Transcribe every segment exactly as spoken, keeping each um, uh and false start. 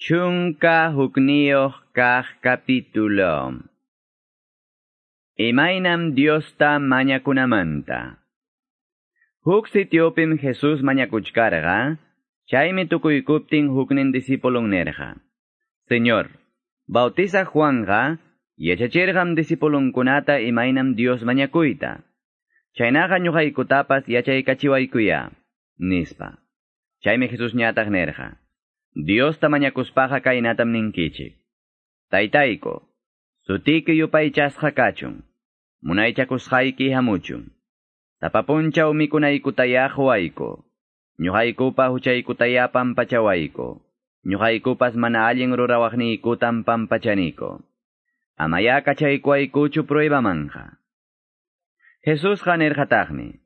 Chunka hukniyuq kaq capítulo. Imaynam Diosta mañakunamanta. Huk sitiopim Jesús mañakuchkarqa, chaymi tukuykuptin huknin discipulon nerqa. Señor, bautiza Juanja, yachachirqam discipulonkunata imaynam Dios mañakuyta. Chaynaqa ñuqaykutapas yachaykachiwaykuya, nispa. Chaymi Jesús ñataq nerqa. Diosta mañakuspaqa kaynatam ninkichik. Taytayku, sutiki yupaychasqa kachun, munaychakusqayki hamuchun. Sapa punchaw mikunaykutaya quwayku, ñuqaykupa huchaykutaya pampachawayku, ñuqaykupas mana allin rurawaqniykutam pampachaniko. Amaya kachaykuwaykuchu pruebamanja. Jesusqa nirqataqmi,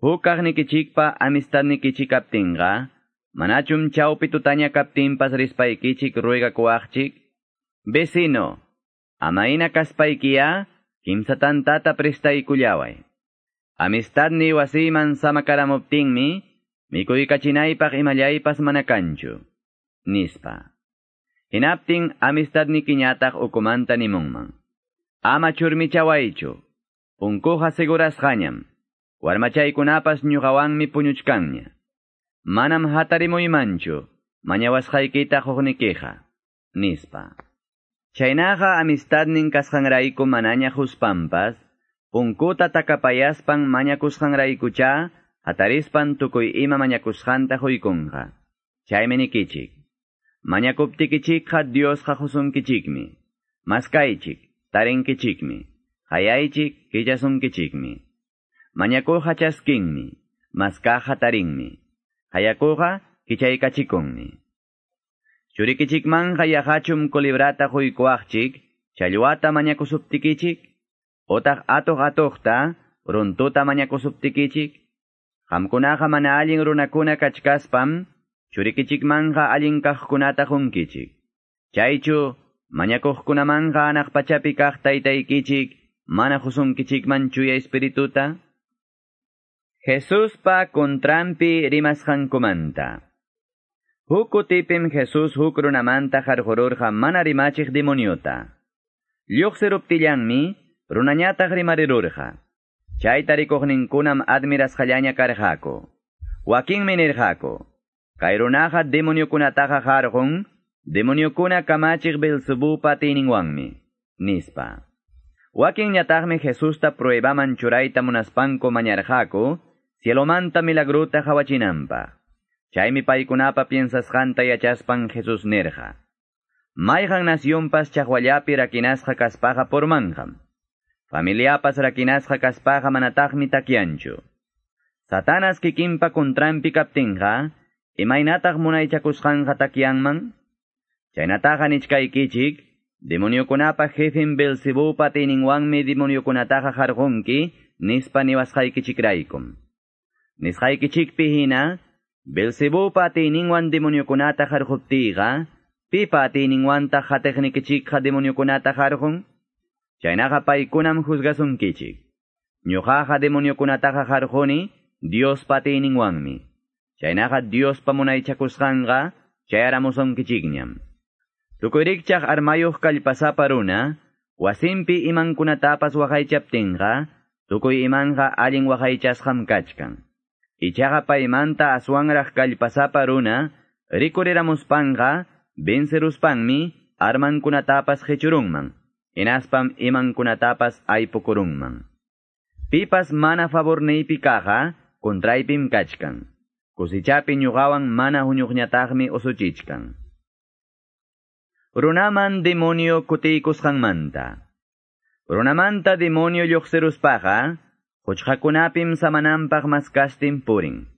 huk kaqnikichikpa amistadnikichik kaptinqa, manachum chawpi tutaña kaptinpas rispaykichik ruegakuwaqchik, vecino, amayna kaspaykiya, kimsa tantata prestaykullaway. Amistadni wasiyman samakaramuptinmi, mikuykachinaypaq imallaypas mana kanchu, nispa. Hinaptin amistadnikiñataq ukumanta nimunman. Ama churmichawaychu, punkuqa segurasqañam, warmachaykunapas ñuqawanmi puñuchkanña. Manam hatarimuymanchu, mañawasqaykita quqnikiqa, nispa. Chaynaqa amistadnin kasqanrayku manaña huspampas, punkuta takapayaspan mañakusqanraykucha, hatarispan tukuy ima mañakusqanta huykunqa. Chaymi nikichik. Mañakuptikichikqa Diosqa husunkichikmi. Maskaychik, tarinkichikmi. Hayaychik, kichasunkichikmi. Mañakuqa chaskinmi, maskaqa tarinmi. Hayakuqa kichaykachikunmi. Churikichikmanja yaqachum colibrata huykuwaqchik, challwata mañakusuptikichik, otaq atuq atuqta, runtuta mañakusuptikichik, qamkunaqa mana allin runakuna kachkaspam, churikichikmanja allin kaqkunata qunkichik. Chaychu, mañakuqkunamanja anaq pachapi kaq taytaykichik, mana husunkichikman chuya espirituta? Jesuspa kontrampi rimasqankumanta. Huk kutipim Jesús huk runamanta qarqururqa mana rimachiq demoniota. Lluqsiruptillanmi runañataq rimarirurqa. Chayta rikuqninkunam admirasqallaña karqaku. Wakinmi nirqaku, kay runaqa demoniokunataqa qarqun, demoniokuna kamachiq Beelzebupa atiyninwanmi, nispa. Wakinñataqmi Jesusta pruebaman churayta munaspanku mañarqaku, cielomanta milagrota qawachinanpaq. Chaymi paykunapa piensasqanta yachaspan Jesús nirqa. Mayqan nacionpas chaqwallapi rakinasqa kaspaqa purmanqam. Familiapas rakinasqa kaspaqa manataqmi takyanchu. Satanas kikinpa kontrampi kaptinqa, imaynataq munaychakusqanqa takyanman? Chaynataqa nichkaykichik, demoniokunapa jefen Beelzebupa atiyninwanmi demoniokunataqa qarqunki, nispa niwasqaykichikraykum. Nisqaykichikpi hina, Beelzebupa atiyninwan demoniokunata qarquptiyqa, pipa atiyninwantaq qatiqnikichikqa demoniokunata qarqun? Chaynaqa paykunam juzgasunkichik. Ñuqaqa demoniokunataqa qarquni Diospa atiyninwanmi. Chaynaqa Diospa munaychakusqanqa chayaramusunkichikñam. Tukuy rikchaq armayuq kallpasapa runa, wasinpi imankunatapas waqaychaptinqa, tukuy imanqa allin waqaychasqam kachkan. Ichaqa paymanta aswanraq kallpasapa runa, rikuriramuspanqa, venceruspanmi, armankunatapas qechurunman, hinaspam imankunatapas aypukurunman. Pipas mana favorniypi kaqqa, kontraypim kachkan. Kusichapi ñuqawan mana huñuqñataqmi usuchichkan. Runaman demonio kutiykusqanmanta. Runamanta demonio lluqsiruspaqa, quchqakunapim samananpaq maskastin purin.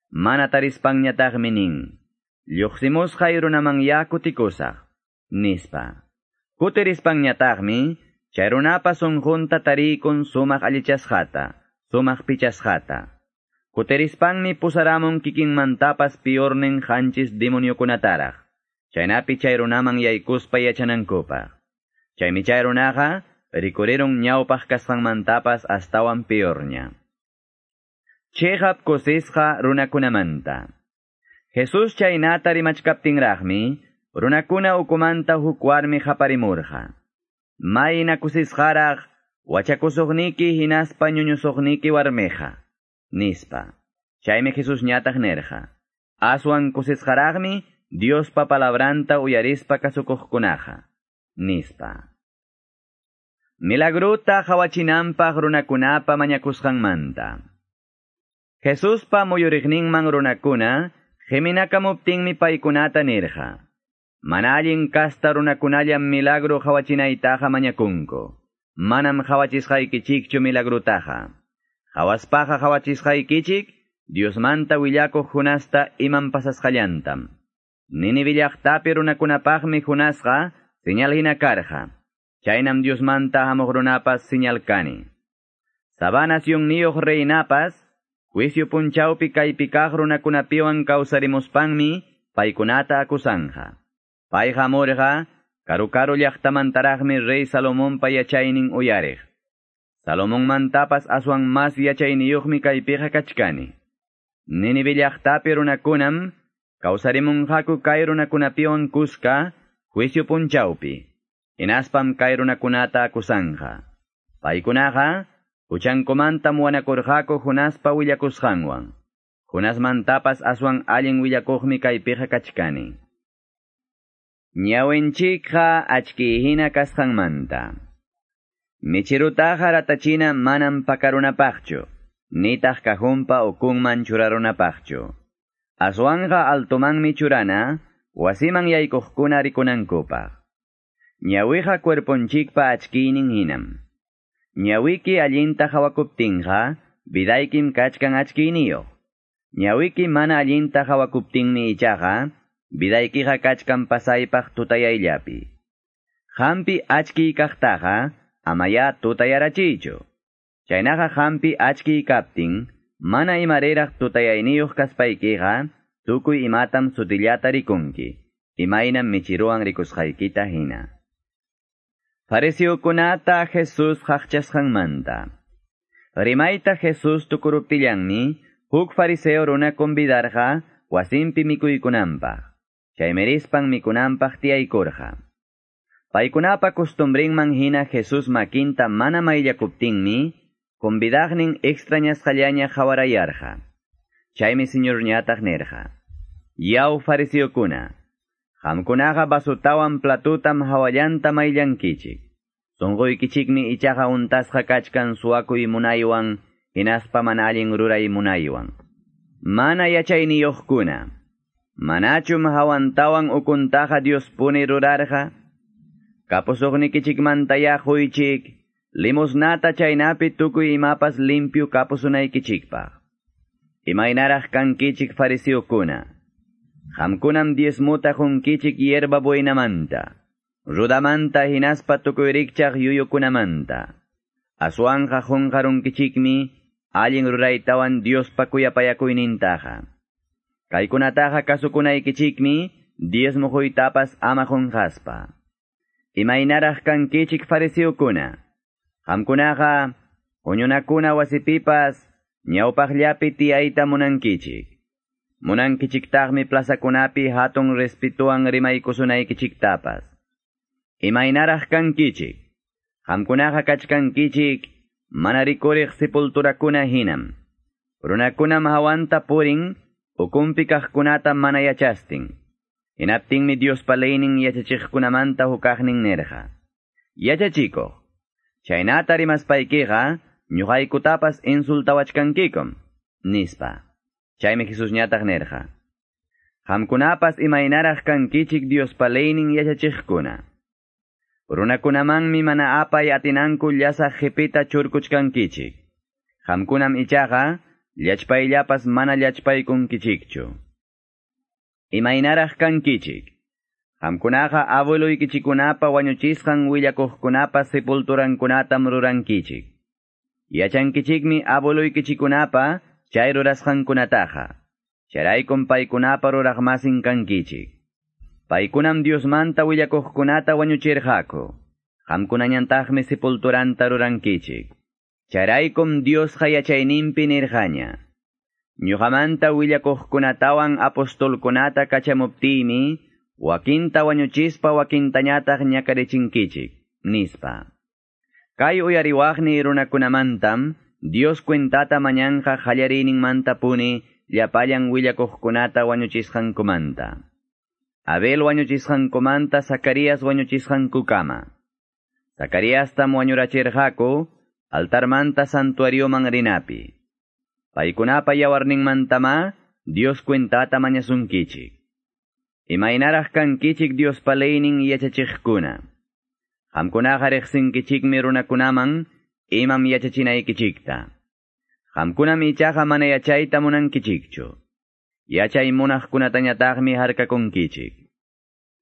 Mana tarispanñataqmi nin, lluqsimusqay runaman ya kutikusaq, nispa. Kutirispanñataqmi, chay runapa sunqunta tariykun sumaq allichasqata, sumaq pichasqata. Kutirispanmi pusaramun kikinmantapas piornin qanchis demoniokunataraq. Chaynapi chay runaman yaykuspa yachanankupaq. Chaymi chay runaqa rikurirun ñawpaq kasqanmantapas astawan piorña. Chiqap kusisqa runakunamanta. Jesús chaynata rimachkaptinraqmi, runakuna ukumanta huk warmi qaparimurqa. Mayna kusisqaraq wachakusuqniki hinaspa ñuñusuqniki warmiqa, nispa. Chaymi Jesusñataq nirqa. Aswan kusisqaraqmi Diospa palabranta uyarispa kasukuqkunaqa, nispa. Milagruta qawachinanpaq runakunapa mañakusqanmanta. Jesuspa muyuriqninman runakuna qiminakamuptinmi paykunata nirqa. Mana allin kasta runakunallam milagro qawachinaytaqa mañakunku. Manam qawachisqaykichikchu milagrutaqa. Qawaspaqa qawachisqaykichik Diosmanta willakuq Jonasta imam pasasqallantam. Nínive llaqtapi runakunapaqmi Jonasqa señal hina karqa. Chaynam Diosmanta hamuq runapas señal kani. Sabá nacionniyuq reinapas, juicio punchawpi kaypi kaq runakunapiwan kawsarimuspanmi paykunata akusanja. Payqa hamurqa, karu-karu llaqtamantaraqmi rey Salomonpa yachaynin uyariq. Salomonmantapas aswan mas yachayniyuqmi kaypiqa kachkani. Nínive llaqtapi runakunam kawsarimunqaku kay runakunapiwan kuska juicio punchawpi. Hinaspam kay runakunata akusanja. Paykunaqa huchankumantam wanakurqaku Jonaspa willakusqanwan. Jonasmantapas aswan allin willakuqmi kaypiqa kachkani. Ñawinchikqa achkihina kasqanmanta. Michirutaqa ratachina manam pakarunapaqchu, nitaq kajunpa ukunman churarunapaqchu. Aswanqa altomanmi churana, wasiman yaykuqkuna rikunankupaq. Ñawiqa cuerponchikpa achkiynin hinam. Ñawiki allinta qhawakuptinqa, vidaykim kachkan achkiyniyuq. Ñawiki mana allinta qhawakuptinmi ichaqa, vidaykiqa kachkan pasaypaq tutayayllapi. Hampi achkiy kaqtaqa, amaya tutayarachiychu. Chaynaqa hampi achkiy kaptin, mana imariraq tutayayniyuq kaspaykiqa, tukuy imatam sutillata rikunki, imaynam michiruwan rikusqaykita hina. Fariseokunata Jesús qaqchasqanmanta. Rimayta Jesús tukuruptillanmi, huk fariseo runa convidarqa wasinpi mikuykunanpaq. Chaymi rispan mikunanpaq tiyaykurqa. Paykunapa costumbrinman hina Jesús makinta mana mayllakuptinmi, convidaqnin extrañasqallaña qawarayarqa. Chaymi Señorñataq nirqa. Yaw fariseokuna, qamkunaqa vasutawan platutam hawallanta mayllankichik. Sunquykichikmi ichaqa untasqa kachkan suwakuy munaywan, hinaspa mana allin ruray munaywan. Mana yachayniyuqkuna, manachum hawantawan ukuntaqa Diospuni rurarqa? Kapusuqnikichikmantaya quychik, limosnata chaynapi tukuy imapas limpio kapusunaykichikpaq. Imaynaraq kankichik fariseokuna, qamkunam diezmuta qunkichik hierba buenamanta, rudamanta hinaspa tukuy rikchaq yuyukunamanta. Aswanqa qunqarunkichikmi allin ruraytawan Diospa kuyapayakuynintaqa. Kaykunataqa kasukunaykichikmi diezmo quytapas ama qunqaspa. Imaynaraq kankichik fariseokuna, qamkunaqa huñunakuna wasipipas ñawpaqllapi tiyayta munankichik. Munankichiktaqmi plazakunapi hatun respetuwan rimaykusunaykichiktapas. Imaynaraq kankichik, qamkunaqa kachkankichik mana rikuriq sepulturakuna hinam. Runakunam hawanta purin, ukunpi kaqkunata mana yachastin. Hinaptinmi Diospa leynin yachachiqkunamanta hukaqnin nirqa. Yachachikuq, chaynata rimaspaykiqa ñuqaykutapas insultawachkankikum, nispa. Chaymi Jesusñataq nirqa. Qamkunapas imaynaraq kankichik Diospa leynin yachachiqkuna. Runakunamanmi mana apay atinanku llasaq qipita churkuchkankichik. Qamkunam ichaqa llachpayllapas mana llachpaykunkichikchu. Imaynaraq kankichik. Qamkunaqa abueluykichikunapa wañuchisqan willakuqkunapa sepulturankunatam rurankichik. Yachankichikmi abueluykichikunapa chay rurasqankunataqa. Chayraykum paykunapa ruraqmasin kankichik. Paykunam Diosmanta willakuqkunata wañuchirqaku. Qamkunañantaqmi sepulturanta rurankichik. Chayraykum Diosqa yachayninpi nirqaña. Ñuqamanta willakuqkunatawan apostolkunata kachamuptiymi, wakinta wañuchispa wakintañataq ñakarichinkichik, nispa. Kay uyariwaqni runakunamantam Dios cuentata mañanqa qallariyninmantapuni llapallan willakuqkunata wañuchisqankumanta. Abel wañuchisqankumanta Zacarías wañuchisqankukama. Zacariastam wañurachirqaku altarmanta santuarioman rinapi. Paykunapa yawarninmantama Dios cuentata mañasunkichik. Imaynaraq kankichik Diospa leynin yachachiqkuna. Qamkunaqa riqsinkichikmi runakunaman imam yachachinaykichikta. Qamkunam ichaqa mana yachayta munankichikchu. Yachay munaqkunatañataqmi harkakunkichik.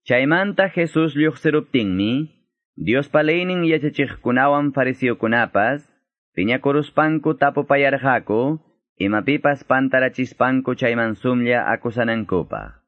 Chaymanta Jesus lluqsiruptinmi, Diospa leynin yachachiqkunawan fariseokunapas, piñakuruspanku tapupayarqaku, imapipas pantarachispanku chayman sumlla akusanankupaq.